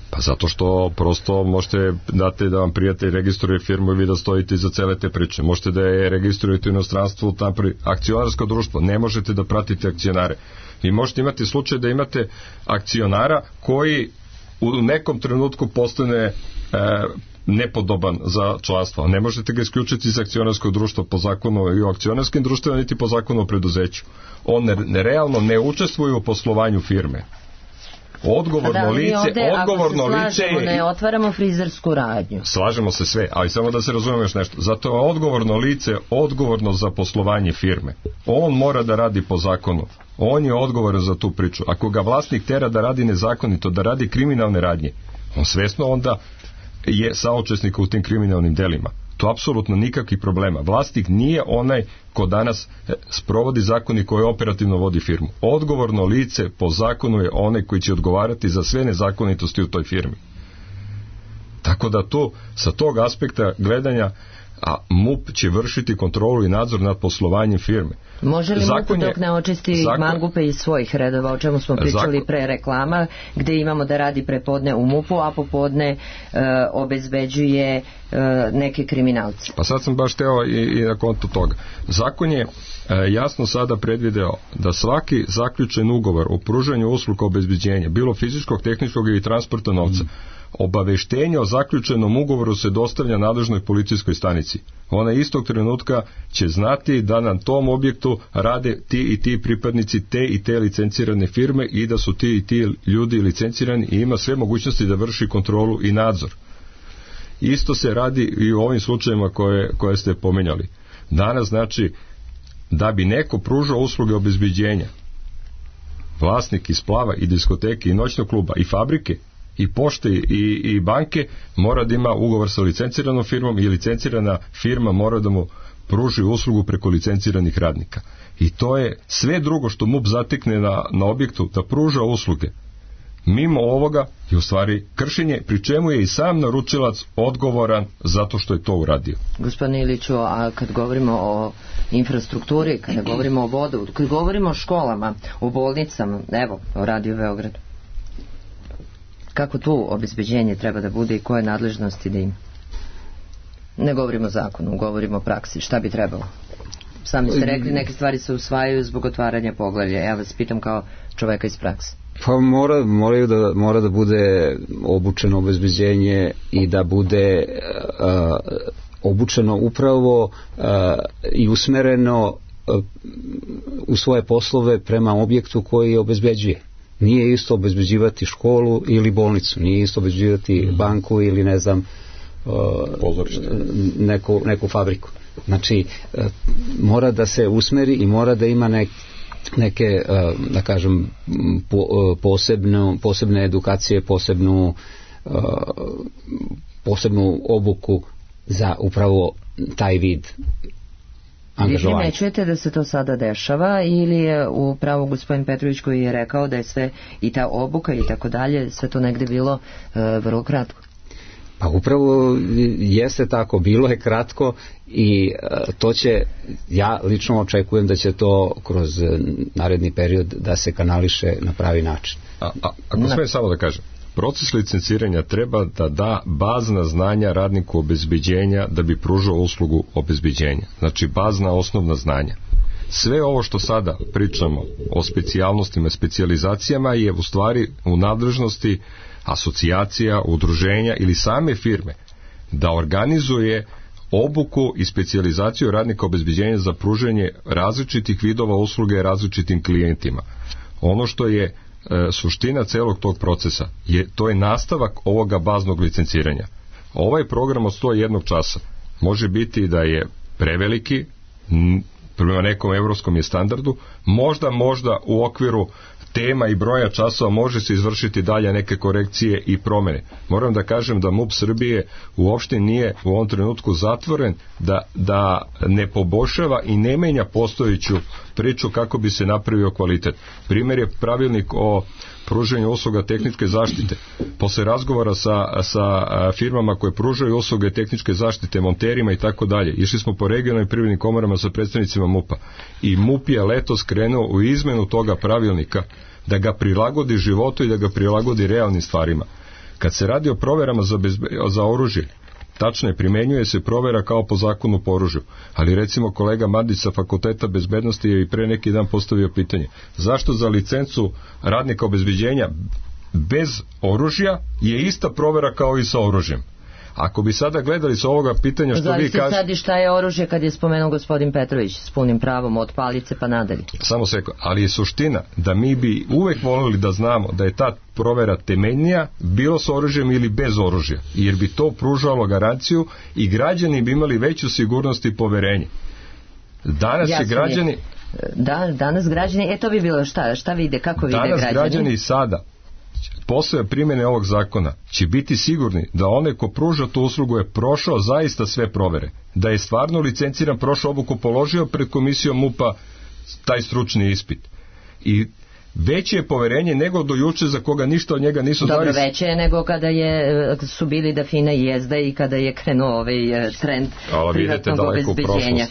Pa zato što prosto možete dati da vam prijatelj registruje firmu i vi da stojite iza cele te priče. Možete da je registrujete u inostranstvu, akcionarsko društvo, ne možete da pratite akcionare. I možete imati slučaj da imate akcionara koji u nekom trenutku postane nepodoban za članstvo. Ne možete ga isključiti iz akcionarskog društva po zakonu i o akcionarskim društvima, niti po zakonu o preduzeću. On realno ne učestvuje u poslovanju firme. Odgovorno lice je... Ne otvaramo frizersku radnju. Slažemo se sve, ali samo da se razumemo još nešto. Zato je odgovorno lice odgovorno za poslovanje firme. On mora da radi po zakonu. On je odgovoran za tu priču. Ako ga vlasnik tera da radi nezakonito, da radi kriminalne radnje, on svesno onda je saučesnik u tim kriminalnim delima. To apsolutno nikakvih problema. Vlasnik nije onaj ko danas sprovodi zakon i koji operativno vodi firmu. Odgovorno lice po zakonu je onaj koji će odgovarati za sve nezakonitosti u toj firmi. Tako da tu, sa tog aspekta gledanja, a MUP će vršiti kontrolu i nadzor nad poslovanjem firme. Može li MUP dok ne očisti mangupe iz svojih redova, o čemu smo pričali pre reklama, gde imamo da radi prepodne u MUP-u, a popodne obezbeđuje neke kriminalce? Pa sad sam baš teo i na kontu toga. Zakon je jasno sada predvideo da svaki zaključen ugovor o pružanju usluga obezbeđenja, bilo fizičkog, tehničkog ili transporta novca, obaveštenje o zaključenom ugovoru se dostavlja nadležnoj policijskoj stanici. Ona istog trenutka će znati da na tom objektu rade ti i ti pripadnici te i te licencirane firme i da su ti i ti ljudi licencirani i ima sve mogućnosti da vrši kontrolu i nadzor. Isto se radi i u ovim slučajevima koje ste pomenjali. Danas znači da bi neko pružao usluge obezbeđenja, vlasnik i splava i diskoteke i noćnog kluba i fabrike i pošte i banke mora da ima ugovor sa licenciranom firmom i licencirana firma mora da mu pruži uslugu preko licenciranih radnika. I to je sve drugo što MUP zatekne na objektu da pruža usluge. Mimo ovoga je u stvari kršenje, pri čemu je i sam naručilac odgovoran zato što je to uradio. Gospodine Iliću, a kad govorimo o infrastrukturi, kada govorimo o vodu, kad govorimo o školama, o bolnicama, evo, o Radio Beogradu, kako tu obezbeđenje treba da bude i koje nadležnosti da ima? Ne govorimo o zakonu, govorimo o praksi. Šta bi trebalo? Sami ste rekli, neke stvari se usvajaju zbog otvaranja poglavlja. Ja vas pitam kao čoveka iz prakse. Pa mora da bude obučeno obezbeđenje i da bude obučeno upravo i usmereno u svoje poslove prema objektu koji obezbeđuje. Nije isto obezbeđivati školu ili bolnicu, nije isto obezbeđivati banku ili ne znam neku fabriku. Znači mora da se usmeri i mora da ima neke da kažem posebne edukacije, posebnu obuku za upravo taj vid angažovanja. Vi primećujete da se to sada dešava ili je upravo gospodin Petrović koji je rekao da je sve i ta obuka i tako dalje, sve to negde bilo vrlo kratko? Pa upravo jeste tako, bilo je kratko i to će, ja lično očekujem da će to kroz naredni period da se kanališe na pravi način. Ako smijem samo da kažem, proces licenciranja treba da da bazna znanja radniku obezbeđenja da bi pružao uslugu obezbeđenja. Znači bazna osnovna znanja. Sve ovo što sada pričamo o specijalnostima i specijalizacijama je u stvari u nadležnosti asocijacija, udruženja ili same firme da organizuje obuku i specijalizaciju radnika obezbeđenja za pružanje različitih vidova usluge različitim klijentima. Ono što je suština celog tog procesa to je nastavak ovoga baznog licenciranja. Ovaj program od 101 časa može biti da je preveliki, prema nekom evropskom je standardu, možda u okviru tema i broja časova može se izvršiti dalje neke korekcije i promene. Moram da kažem da MUP Srbije uopšte nije u ovom trenutku zatvoren da ne poboljšava i ne menja postojeću priču kako bi se napravio kvalitet. Primjer je pravilnik o pružanju usluga tehničke zaštite. Posle razgovora sa firmama koje pružaju usluge tehničke zaštite, monterima i tako dalje, išli smo po regionalnim privrednim komorama sa predstavnicima MUP-a i MUP je letos krenuo u izmenu toga pravilnika da ga prilagodi životu i da ga prilagodi realnim stvarima. Kad se radi o proverama za oružje, tačno je, primenjuje se provera kao po zakonu po oružju, ali recimo kolega Mandić sa Fakulteta bezbednosti je i pre neki dan postavio pitanje, zašto za licencu radnika obezbeđenja bez oružja je ista provera kao i sa oružjem? Ako bi sada gledali sa ovoga pitanja što vi kažete... sad i šta je oružje kad je spomenuo gospodin Petrović s punim pravom od palice pa nadalje. Samo sekund, ali je suština da mi bi uvek volili da znamo da je ta provera temeljnija bilo sa oružjem ili bez oružja, jer bi to pružalo garanciju i građani bi imali veću sigurnost i poverenje. Danas je građani... Danas građani, to bi bilo šta vide, kako vide građani? Danas građani sada posle primjene ovog zakona će biti sigurni da onaj ko pruža tu uslugu je prošao zaista sve provere, da je stvarno licenciran, prošao obuku, položio pred komisijom MUP-a taj stručni ispit. I veće je poverenje nego do juče za koga ništa od njega nisu znali. Dobro, veće je nego kada su bili da fina jezda i kada je krenuo ovaj trend privatnog obezbeđenja.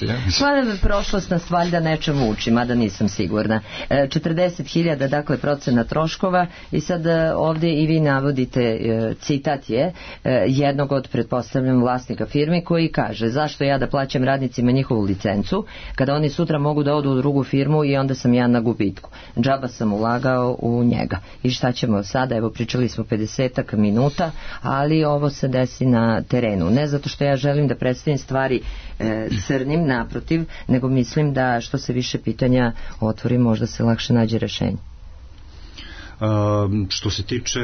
Prošlost nas valjda nečemu uči, mada nisam sigurna. 40.000, dakle, procena troškova i sad ovdje i vi navodite, citat je jednog od, pretpostavljam, vlasnika firme koji kaže, zašto ja da plaćam radnicima njihovu licencu kada oni sutra mogu da odu u drugu firmu i onda sam ja na gubitku. Džaba sam ulagao u njega. I šta ćemo sada? Evo, pričali smo 50 minuta, ali ovo se desi na terenu. Ne zato što ja želim da predstavim stvari crnim, naprotiv, nego mislim da što se više pitanja otvori, možda se lakše nađe rešenje. Što se tiče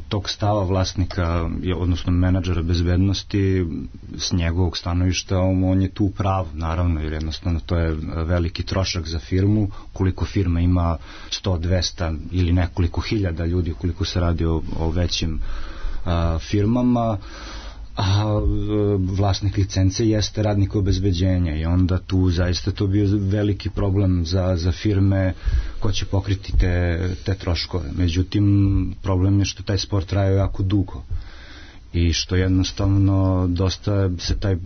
tog stava vlasnika, odnosno menadžera bezbednosti, s njegovog stanovišta on je tu prav, naravno, jer jednostavno to je veliki trošak za firmu, koliko firma ima 100, 200 ili nekoliko hiljada ljudi, koliko se radi o većim firmama, a vlasnik licence jeste radnik obezbeđenja i onda tu zaista to bio veliki problem za firme ko će pokriti te troškove. Međutim, problem je što taj sport traje jako dugo i što jednostavno dosta se taj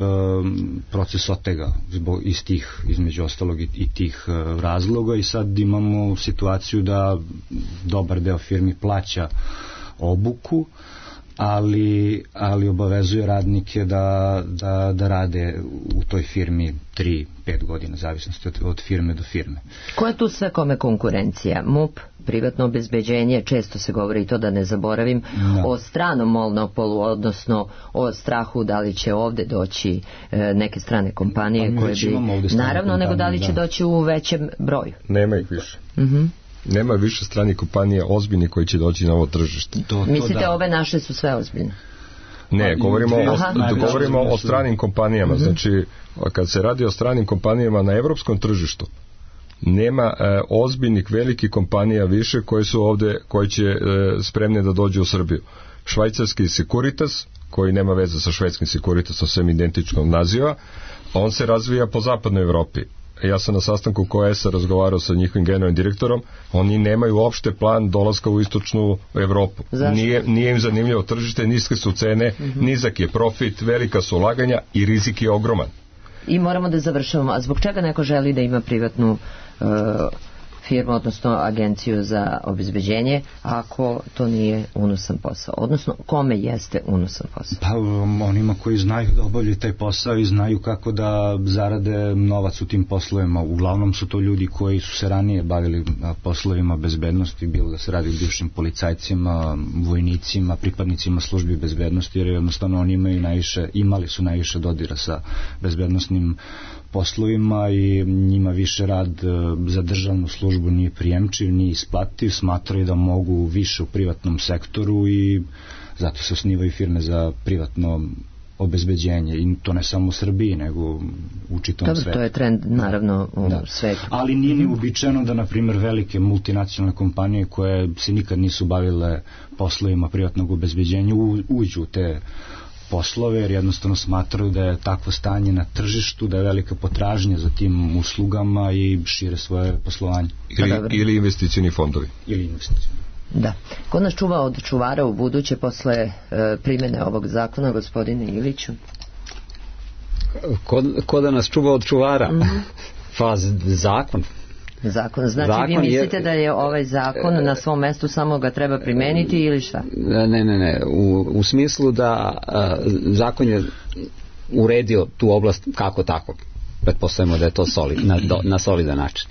proces otega iz tih, između ostalog i tih razloga i sad imamo situaciju da dobar deo firmi plaća obuku, ali obavezuje radnike da rade u toj firmi 3-5 godina, zavisnosti od firme do firme. Ko je tu sve kome konkurencija? MUP, privatno obezbeđenje, često se govori i to da ne zaboravim, o stranom monopolu, odnosno o strahu da li će ovde doći neke strane kompanije koje bi... Naravno, nego da li će doći u većem broju. Nema ih više. Nema više stranih kompanija ozbiljnih koji će doći na ovo tržište. Mislite ove naše su sve ozbiljne? Ne, govorimo o stranim kompanijama. Znači, kad se radi o stranim kompanijama na evropskom tržištu, nema ozbiljnih velikih kompanija više koje su ovde, koje će spremne da dođu u Srbiju. Švajcarski Securitas, koji nema veze sa švedskim Securitasom, sem identičnog naziva, on se razvija po zapadnoj Evropi. ja sam na sastanku KOS-a razgovarao sa njihovim generalnim direktorom, oni nemaju uopšte plan dolaska u istočnu Evropu. Nije im zanimljivo tržište, niske su cene, nizak je profit, velika su ulaganja i rizik je ogroman. I moramo da završavamo. A zbog čega neko želi da ima privatnu firmu, odnosno agenciju za obezbeđenje, ako to nije unosan posao? Odnosno, kome jeste unosan posao? Pa onima koji znaju da obavljaju taj posao i znaju kako da zarade novac u tim poslovima. Uglavnom su to ljudi koji su se ranije bavili poslovima bezbednosti, bilo da se radi o bivšim policajcima, vojnicima, pripadnicima službi bezbednosti, jer jednostavno oni imali su najviše dodira sa bezbednosnim poslovima i njima više rad za državnu službu nije prijemčiv, nije isplativ, smatraju da mogu više u privatnom sektoru i zato se osnivaju firme za privatno obezbeđenje, i to ne samo u Srbiji, nego u čitavom svetu. To je trend naravno u svetu. Ali nije ni uobičajeno da, na primjer, velike multinacionalne kompanije koje se nikad nisu bavile poslovima privatnog obezbeđenja uđu u te poslove, jer jednostavno smatraju da je takvo stanje na tržištu, da je velika potražnja za tim uslugama i šire svoje poslovanje. Ili investicioni fondovi. Ili investicioni. Da. Ko nas čuva od čuvara u buduće posle primjene ovog zakona, gospodine Iliću? Ko da nas čuva od čuvara? Pa zakon. Znači vi mislite da je ovaj zakon na svom mestu, samo ga treba primeniti ili šta? Ne. U smislu da zakon je uredio tu oblast kako tako. Pretpostavimo da je to na solidan način.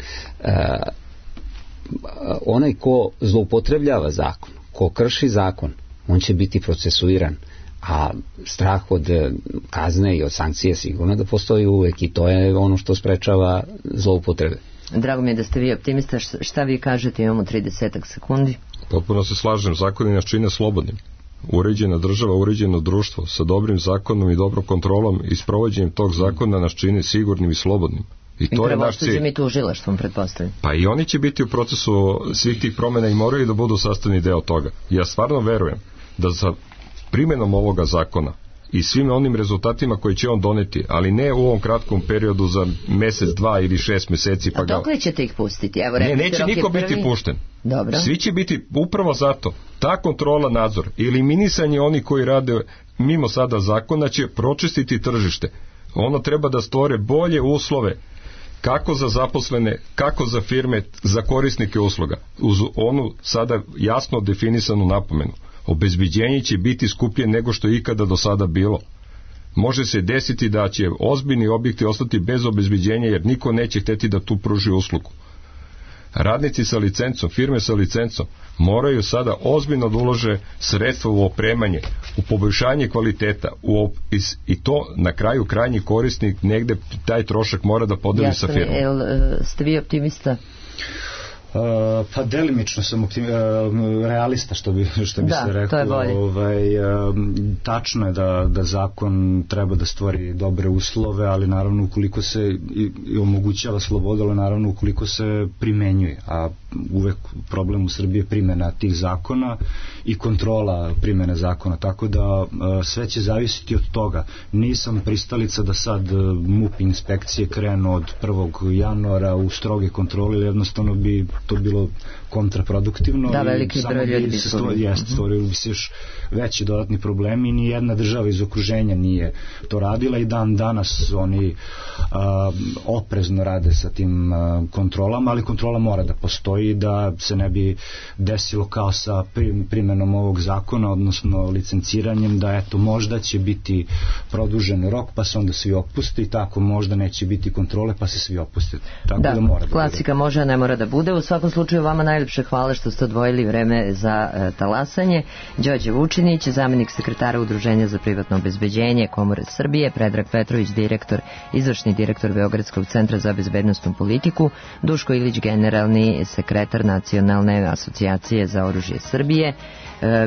Onaj ko zloupotrebljava zakon, ko krši zakon, on će biti procesuiran, a strah od kazne i od sankcije sigurno da postoji uvek, i to je ono što sprečava zloupotrebe. Drago mi je da ste vi optimista. Šta vi kažete? Imamo 30 sekundi. Potpuno se slažem, zakoni nas čine slobodnim. Uređena država, uređeno društvo sa dobrim zakonom i dobrom kontrolom i sprovođenjem tog zakona nas čine sigurnim i slobodnim. I to je naš cilj. I tužilaštvom, pretpostavljam. Pa i oni će biti u procesu svih tih promjena i moraju da budu sastavni deo toga. Ja stvarno verujem da sa primjenom ovoga zakona i svim onim rezultatima koji će on doneti, ali ne u ovom kratkom periodu za mesec, 2 ili 6 meseci. A dok li ćete ih pustiti? Neće niko biti pušten. Dobro. Svi će biti upravo zato. Ta kontrola, nadzor, eliminisanje onih koji rade mimo sada zakona će pročistiti tržište. Ono treba da stvore bolje uslove kako za zaposlene, kako za firme, za korisnike usluga. Uz onu sada jasno definisanu napomenu. Obezbeđenje će biti skuplje nego što je ikada do sada bilo. Može se desiti da će ozbiljni objekti ostati bez obezbeđenja, jer niko neće hteti da tu pruži uslugu. Radnici sa licencom, firme sa licencom moraju sada ozbiljno da ulože sredstva u opremanje, u poboljšanje kvaliteta, i to na kraju krajnji korisnik negde taj trošak mora da podeli sa firmom. Ste vi optimista? Pa delimično sam realista, što bi se reklo. To je bolje. Tačno je da zakon treba da stvori dobre uslove, ali naravno ukoliko se i omogućava sloboda, ali naravno ukoliko se primenjuje, a uvek problem u Srbiji je primjena tih zakona i kontrola primjene zakona, tako da sve će zavisiti od toga. Nisam pristalica da sad MUP inspekcije krenu od 1. januara u stroge kontrole, jednostavno bi to bilo kontraproduktivno. Da, veliki broj ljudi bi stvorili bi se još veći dodatni problemi i ni jedna država iz okruženja nije to radila i dan danas oni oprezno rade sa tim kontrolama, ali kontrola mora da postoji, da se ne bi desilo kao sa primjenom ovog zakona, odnosno licenciranjem, da eto možda će biti produžen rok pa se onda svi opuste i tako možda neće biti kontrole pa se svi opuste. Tako da mora da klasika bude. Može, a ne mora da bude. U svakom slučaju vama najljepše hvala što ste odvojili vreme za talasanje. Đorđe Vučinić, zamenik sekretara Udruženja za privatno obezbeđenje Komore Srbije, Predrag Petrović, izvršni direktor Beogradskog centra za bezbednosnu politiku, Duško Ilić, generalni sekretar Nacionalne asocijacije za oružje Srbije.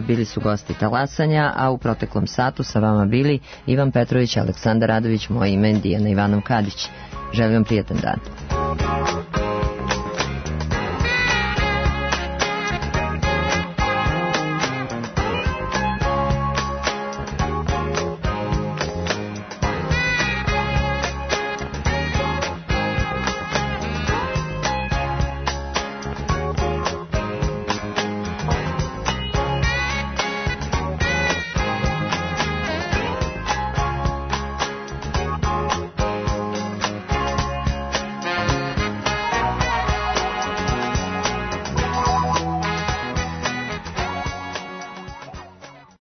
Bili su gosti talasanja, a u proteklom satu sa vama bili Ivan Petrović, Aleksandar Radović, moje ime je Dijana Ivanov Kadić. Želim vam prijatan dan.